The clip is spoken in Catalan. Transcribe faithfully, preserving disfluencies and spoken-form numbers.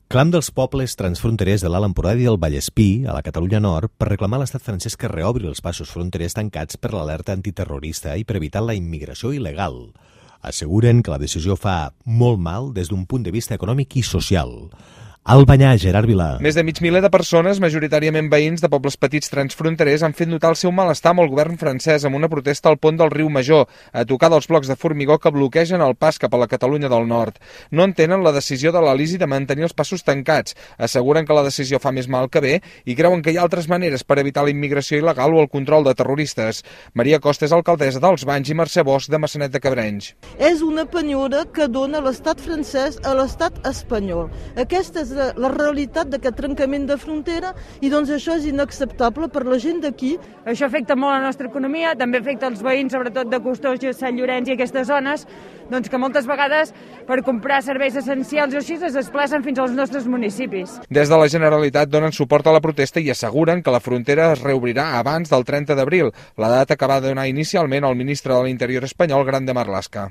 Clam dels pobles transfronterers de l'Alt Empordà i del Vallespí, a la Catalunya Nord, per reclamar a l'estat francès que reobri els passos fronterers tancats per l'alerta antiterrorista i per evitar la immigració il·legal. Asseguren que la decisió fa molt mal des d'un punt de vista econòmic i social. Albanyà, Gerard Vilà. Més de mig miler de persones, majoritàriament veïns de pobles petits transfronterers, han fet notar el seu malestar amb el govern francès amb una protesta al pont del riu Major, a tocar dels blocs de formigó que bloquegen el pas cap a la Catalunya del Nord. No entenen la decisió de l'Elisi de mantenir els passos tancats. Asseguren que la decisió fa més mal que bé i creuen que hi ha altres maneres per evitar la immigració il·legal o el control de terroristes. Maria Costa és alcaldessa dels Banys i Mercè Bosch de Maçanet de Cabrenys. És una penyora que dona l'estat francès a l'estat espanyol. Aquesta és la realitat d'aquest trencament de frontera i doncs això és inacceptable per la gent d'aquí. Això afecta molt la nostra economia, també afecta els veïns, sobretot de Costós, Sant Llorenç i aquestes zones, doncs que moltes vegades per comprar serveis essencials o així es desplacen fins als nostres municipis. Des de la Generalitat donen suport a la protesta i asseguren que la frontera es reobrirà abans del trenta d'abril, la data que va donar inicialment el ministre de l'Interior espanyol, Grande Marlaska.